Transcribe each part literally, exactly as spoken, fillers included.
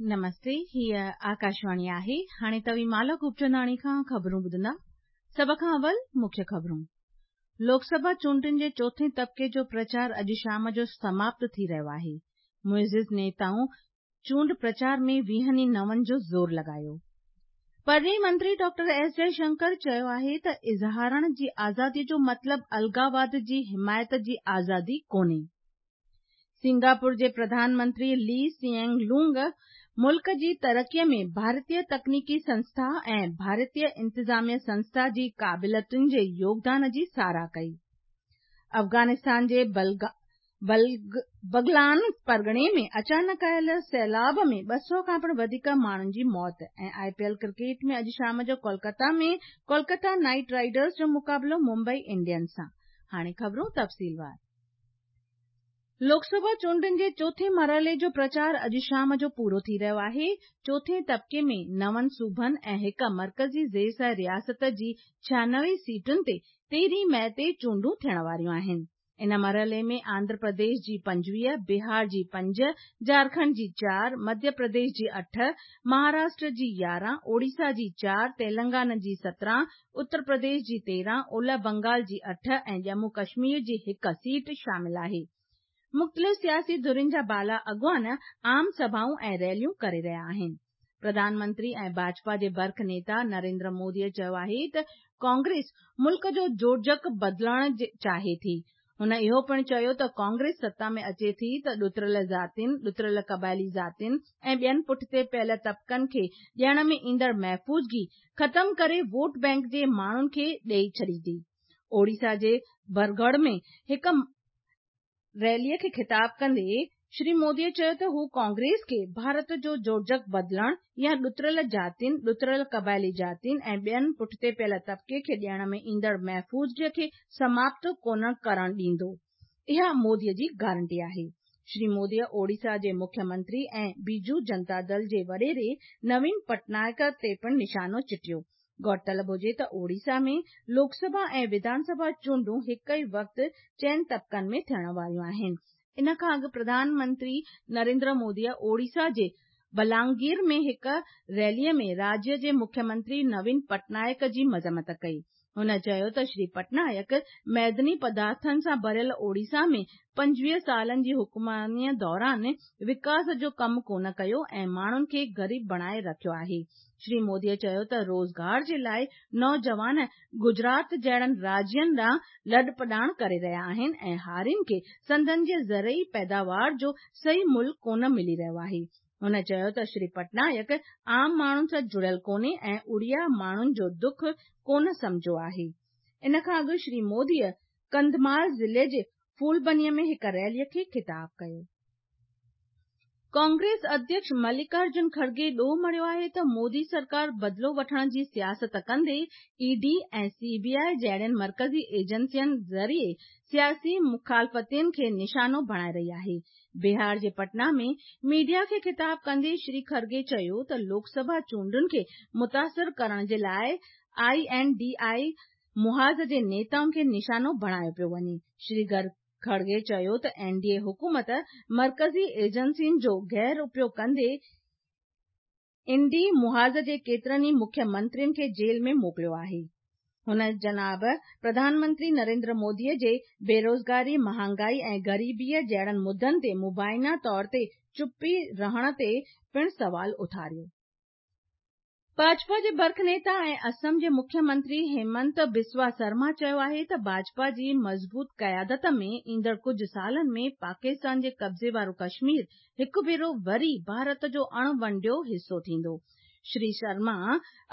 नमस्ते, हीअ आकाशवाणी आहे। हाणे तव्हीं माला खूबचंदाणी खां ख़बरूं ॿुधंदा। सभ खां अवल मुख्य ख़बरूं। लोकसभा चूंडुनि जे चोथें तबके जो प्रचार अॼु शाम जो समाप्त थी रहियो आहे। मुइज़िज़ नेताऊं चूंड प्रचार में वीहनि नवनि जो ज़ोर लॻायो। परॾेही मंत्री डॉक्टर एस जयशंकर चयो आहे त इज़हारण जी आज़ादी जो मतिलब अलगावाद जी हिमायत जी आज़ादी कोन्हे। सिंगापुर जे प्रधानमंत्री ली सिएंग लूंग मुल्क जी तरक़ीअ में भारतीय तकनीकी संस्था ऐं भारतीय इंतिज़ामिया संस्था जी क़ाबिलियतुनि जे योगदान जी सराह कई। अफ़गानिस्तान जे बगलान परगणे में अचानक आयल सैलाब में ॿ सौ खां पिणु वधीक माण्हुनि जी मौत ऐं I P L cricket में अॼु शाम जो कोलकाता में कोलकाता नाइट राइडर्स जो मुक़ाबिलो मुंबई इंडियंस सां। हाणे ख़बरूं तफ़सीलवार। लोकसभा चूंडुनि जे चोथें मरहले जो प्रचार अॼु शाम जो पूरो थी रहियो आहे। चोथें तबके में नवनि सूबनि ऐं हिकु मर्कज़ी ज़ेर रियासत जी छियानवे सीटुनि ते तेरहीं मई ते चूंडूं थियण वारियूं आहिनि। इन मरहले में आंध्र प्रदेश जी पंजवीह, बिहार जी पंज, झारखंड जी चारि, मध्य प्रदेश जी अठ, महाराष्ट्र जी यारहं, ओडिशा जी चारि, तेलंगाना जी सत्रहं, उत्तर प्रदेश जी तेरहं, ओलह बंगाल जी अठ ऐं जम्मू कश्मीर जी हिकु सीट शामिल आहे। मुख़्तलिफ़ सियासी धुरियुनि जा बाला अॻुवान आम सभाऊं ऐं रैलियूं करे रहिया आहिनि। प्रधानमंत्री ऐं भाजपा जे बर्ख नेता नरेंद्र मोदीअ चयो आहे त कांग्रेस मुल्क जो जोड़जक बदिलणु चाहे थी। हुन इहो पिणु चयो त कांग्रेस सत्ता में अचे थी त ॾुतरियल ज़ातियुनि, ॾुतरियल क़बाइली ज़ातियुनि ऐं ॿियनि पुठिते पियल तबकनि खे ॾियण में ईंदड़ महफ़ूज़गी ख़तम करे वोट बैंक जे माण्हुनि खे ॾेई छॾींदी। ओडिशा जे बरगढ़ में हिकु रैलीअ खे ख़िताब कंदे श्री मोदीअ चयो त हू कांग्रेस खे भारत जो जोड़जक बदिलण या ॾुतरियल ज़ातियुनि, ॾुतरियल क़बाइली ज़ातियुनि ऐं ॿियनि पुठिते पियल तबके खे ॾियण में ईंदड़ महफ़ूज़गीअ खे समाप्त कोन करण ॾींदो। इहा मोदीअ जी गारंटी आहे। श्री मोदीअ ओडिशा जे मुख्यमंत्री ऐं बीजू जनता दल जे वॾेरे नवीन पटनायक ते पिणु निशानो चिटियो। गौरतलब हुजे त ओडिशा में लोकसभा ऐं विधानसभा चूंडूं हिकु ई वक़्तु चइनि तबकनि में थियण वारियूं आहिनि। इन खां अॻु प्रधानमंत्री नरेंद्र मोदीअ ओडिशा जे बलांगीर में हिकु रैलीअ में राज्य जे मुख्यमंत्री नवीन पटनायक जी मज़म्मत कई। हुन चयो त श्री पटनायक मैदनी पदार्थनि सां भरियल ओडिशा में पंजवीह सालनि जी हुकुमरानीअ दौरान विकास जो कमु कोन कयो ऐं माण्हुनि खे ग़रीब बणाए रखियो आहे। श्री मोदीअ चयो त रोज़गार जे लाइ नौजवान गुजरात जहिड़नि राज्यनि ॾांहुं लॾपॾाण करे रहिया आहिनि ऐं हारियुनि खे संदन जे ज़रई पैदावार जो सही मुल्ह कोन मिली रहियो आहे। हुन चयो त श्री पटनायक आम माण्हुनि सां जुड़ियल कोन्हे ऐं उड़िया माण्हुनि जो दुख कोन सम्झियो आहे। इन खां अॻु श्री मोदीअ कंधमाल ज़िले जे फूलबनीअ में हिकु रैलीअ खे ख़िताब कयो। कांग्रेस अध्यक्ष मल्लिकार्जुन खड़गे ॾोह मढ़ियो आहे त मोदी सरकार बदिलो वठण जी सियासत कंदे ईडी ऐं सीबीआई जहिड़ियुनि मर्कज़ी एजेंसियुनि ज़रिए सियासी मुखालफ़तियुनि खे निशानो बणाए रही आहे। बिहार जे पटना में मीडिया खे ख़िताब कंदे श्री खड़गे चयो त लोकसभा चूंडुनि खे मुतासिर करण जे लाइ I N D I मुहाज़ जे नेताउनि खे निशानो बणायो पियो वञे। श्री खड़गे चयो त एन डी ए हुकूमत मर्कज़ी एजेंसियुनि जो गैर उपयोग कंदे इंडी मुहाज़ जे केतिरनि ई मुख्यमंत्रियुनि खे जेल में मोकिलियो आहे। हुन जनाब प्रधानमंत्री नरेंद्र मोदीअ जे बेरोज़गारी, महांगाई ऐं ग़रीबीअ जहिड़नि मुद्दनि ते मुबाइना तौर ते चुपी रहण ते पिणु सवाल उथारियो। भाजपा जे बर्ख नेता ऐं असम जे मुख्यमंत्री हेमंत बिस्वा शर्मा चयो आहे त भाजपा जी मज़बूत क़यादत में ईंदड़ कुझु सालनि में पाकिस्तान जे कब्ज़े वारो कश्मीर हिकु भेरो वरी भारत जो अणवंडियो हिसो थींदो। श्री शर्मा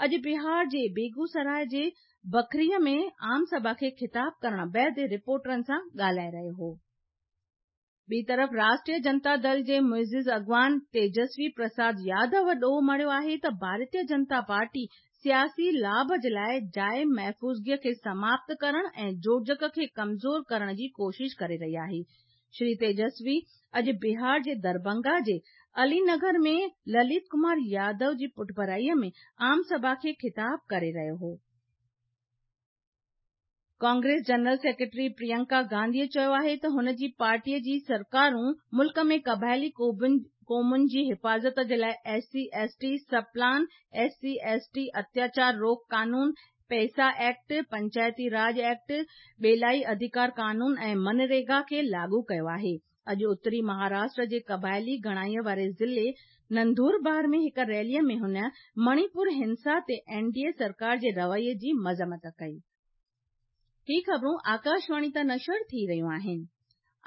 अॼु बिहार जे बेगूसराय जे बखरीअ में आम सभा खे ख़िताब करण बाद रिपोर्टरनि सां ॻाल्हाए रहियो हो। ॿी तरफ़ राष्ट्रीय जनता दल जे मुइज़िज़ अॻवान तेजस्वी प्रसाद यादव ॾोह मढ़ियो आहे त भारतीय जनता पार्टी सियासी लाभ जे लाइ जाइ महफ़ूज़गीअ खे समाप्त करण ऐं जोड़जक खे कमज़ोर करण जी कोशिश करे रही आहे। श्री तेजस्वी अॼु बिहार जे दरभंगा जे अलीनगर में ललित कुमार यादव जी पुठभराईअ में आम सभा खे ख़िताब करे रहियो हो। कांग्रेस जनरल सेक्रेटरी प्रियंका गांधीअ चयो आहे त हुन जी पार्टीअ जी सरकारूं मुल्क में क़बाइली قومن جي حفاظت جي لاءِ S C S T sub plan, S C S T اتياچار روڪ قانون، پيسا ايڪٽ، پنچائتي راڄ ايڪٽ، ٻيلائي اڌڪار قانون ۽ منريگا کي لاڳو ڪيو آهي. اڄ اتري مهاراشٽر جي قبائلي گهڻائي واري ضلعي نندوربار ۾ هڪ ريلي ۾ هن مڻيپور هنسا تي اين ڊي اي سرڪار جي رويي جي مذمت ڪئي. هي خبرون آڪاشواڻي تان نشر ٿي رهيون آهن.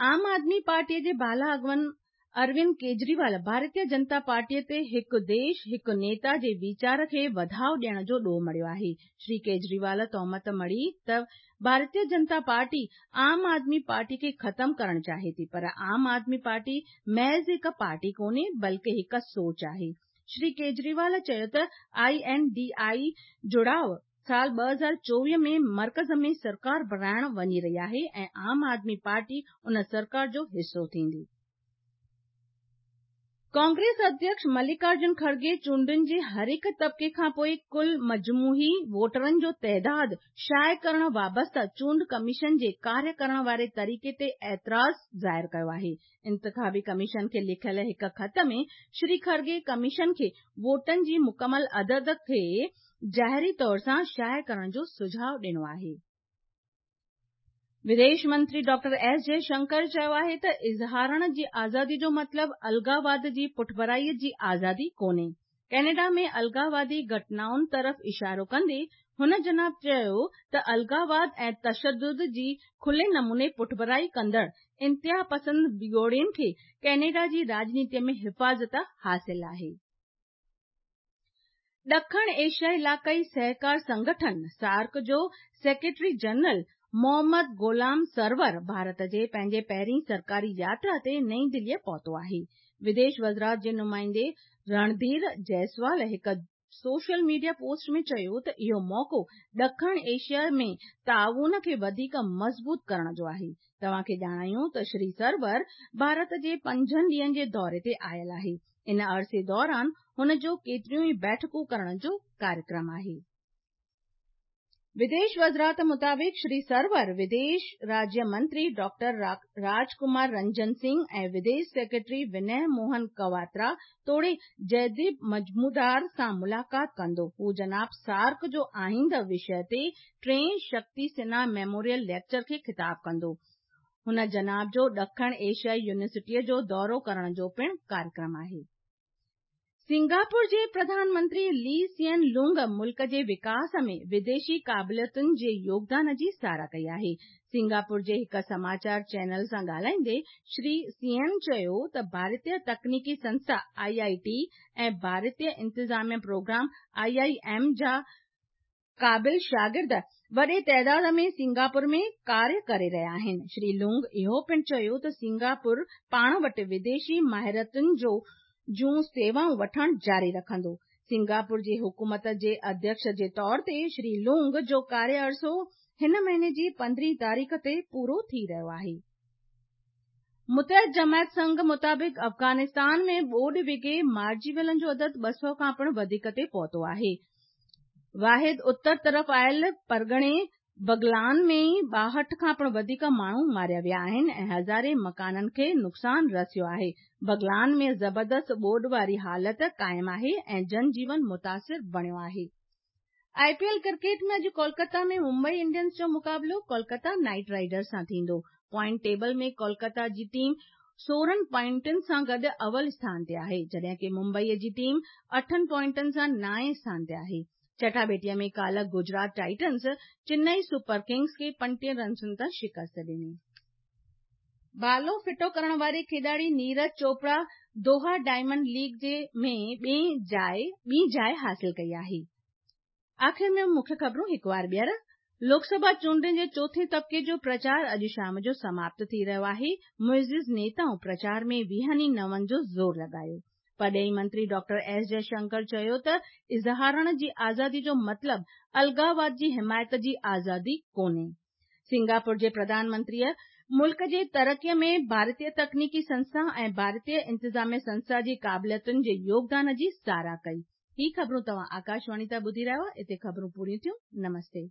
عام آدمي پارٽيء جي بالا اڳواڻ اروند ڪيجريوال ڀارتيه جنتا پارٽيء تي هڪ ديش هڪ نيتا جي ويچار کي وڌاءُ ڏيڻ جو ڏوهه مڙهيو آهي. شري ڪيجريوال تهمت مڙهي ته ڀارتيه جنتا پارٽي عام آدمي پارٽي کي ختم ڪرڻ چاهي ٿي پر عام آدمي پارٽي محض هڪ پارٽي ڪونهي بلڪه هڪ سوچ آهي. شري ڪيجريوال چيو ته I N D I جڙاءُ سال ٻه هزار چوويهه ۾ مرڪز ۾ سرڪار بڻائڻ وڃي رهي آهي ۽ عام آدمي پارٽي ان سرڪار جو حصو ٿيندي. ڪانگريس اڌيڪش ملڪارجن کڙگي چونڊن جي هر هڪ طبقي کان پوءِ ڪل مجموعي ووٽرن جو تعداد شايع ڪرڻ وابسته چونڊ ڪميشن جي ڪاريه ڪرڻ واري طريقي تي اعتراض ظاهر ڪيو آهي. انتخابي ڪميشن کي لکيل هڪ خط ۾ شري کڙگي ڪميشن کي ووٽن جي مڪمل عدد کي ظاهري طور سان شايع ڪرڻ جو سجهاءُ ڏنو آهي. وديش منتري ڊاڪٽر ايس جئشنڪر چيو آهي ته اظهارڻ جي آزادي جو مطلب الڳاواد جي پٺڀرائي جي آزادي ڪونهي. ڪينيڊا ۾ الڳاوادي گهٽنائن طرف اشارو ڪندي هن جناب چيو ته الڳاواد ۽ تشدد جي کلي نموني پٺڀرائي ڪندڙ انتها پسند وڳوڙين کي ڪينيڊا جي راڄنيتي ۾ حفاظت حاصل آهي. ڏکڻ ايشيا علائقائي سهڪار سنگٺن سارڪ جو سيڪريٽري جنرل محمد غلام سرور ڀارت جي پنهنجي پهرين سرڪاري ياترا تي نئين دليءَ پهتو آهي. وديش وزارت جي نمائندي رڻڌير جئسوال هڪ سوشل ميڊيا پوسٽ ۾ چيو ته اهو موقعو ڏکڻ ايشيا ۾ تعاون کي وڌيڪ مضبوط ڪرڻ جو آهي. توهان کي ڄاڻايون ته شري سرور ڀارت جي پنجن ڏينهن جي دوري تي آيل آهي. ان عرصي دوران هن جو ڪيتريون ئي بيٺڪون ڪرڻ جو ڪاريڪرم آهي. وديش وزارت مطابق شري سرور وديش راجيه منتري ڊاڪٽر راجڪمار رنجن سنگهه ۽ وديش سيڪريٽري وني موهن ڪواترا توڙي جئديپ مجمودار سان ملاقات ڪندو. هو جناب سارڪ جو آئينده وشيه تي ٽئين شڪتي سنها ميموريل ليڪچر کي خطاب ڪندو. هن جناب جو ڏکڻ ايشيائي يونيورسٽيءَ جو دورو ڪرڻ جو پڻ ڪاريڪرم آهي. سنگاپور جي پرڌان منتري لي سين لونگ ملڪ جي وڪاس ۾ وديشي قابليتن جي يوگدان جي ساراهه ڪئي آهي. سنگاپور جي هڪ سماچار چينل سان ڳالهائيندي شري سين چيو ته ڀارتيه تڪنيڪي سنسٿا I I ٽي ۽ ڀارتيه انتظاميه پروگرام I I M جا قابل شاگرد وڏي تعداد ۾ سنگاپور ۾ ڪاريه ڪري رهيا آهن. شري لونگ اهو پڻ چيو ته سنگاپور پاڻ وٽ وديشي ماهرتن جو جون سيوائون وٺڻ جاري رکندو. سنگاپور جي حڪومت جي اڌيڪش جي طور تي شري لونگ جو ڪاريه عرصو هن مهيني جي پندرهين تاريخ تي پورو ٿي رهيو آهي. متحد جماعت سنگهه مطابق افغانستان ۾ ٻوڏ وگهي مارجي ويلن جو عدد ٻه سؤ کان پڻ وڌيڪ تي پهتو آهي. واحد اتر طرف آيل پرڳڻي بغلان ۾ ئي ٻاهٺ کان پڻ وڌيڪ ماڻهو ماريا ويا آهن ۽ هزارين مڪانن کي نقصان رسيو آهي. بغلان ۾ زبردست ٻوڏ واري حالت قائم آهي ۽ جن جيون متاثر بڻيو آهي. I P L cricket ۾ اڄ ڪولڪتا ۾ ممبئي انڊينز جو مقابلو ڪولڪتا نائيٽ رائيڊرز سان ٿيندو. پوائنٽ ٽيبل ۾ ڪولڪتا جي ٽيم سورهن پوائنٽن سان گڏ اول اسٿان تي آهي، جڏهن ڪه ممبئي جي ٽيم اٺن پوائنٽن سان نائين اسٿان تي آهي. چٽاڀيٽيءَ ۾ ڪالهه Gujarat Titans Chennai super Kings کي پنجٽيهه رنسن تان شڪست ڏني. ڀالو ڦٽو ڪرڻ واري کيڏاڙي نيرج چوپڙا دوها ڊائمنڊ ليگ جي ۾ ٻي جاءِ ٻي جاءِ حاصل ڪئي آهي. آخر ۾ مکيه خبرون هڪ وار ٻيهر. لوڪسڀا چونڊن جي چوٿين طبقي جو پرچار اڄ شام جو سماپت ٿي رهيو آهي. معزز نيتائن پرچار ۾ ويهن ئي نون جو زور لڳايو. پرڏيهي منتري ڊاڪٽر ايس جئشنڪر چيو ته اظهارڻ جي آزادي جو مطلب الڳاواد جي حمايت جي آزادي ڪونهي. سنگاپور جي پرڌان منتريءَ ملڪ جي ترقيءَ ۾ ڀارتيه تڪنيڪي سنسٿا ۽ ڀارتيه انتظاميه سنسٿا جي قابليتن جي يوگدان جي ساراهه ڪئي. هي خبرون توهان آڪاشواڻي تان ٻڌي رهيا هئا. اتي خبرون پوريون ٿيون. نمستي.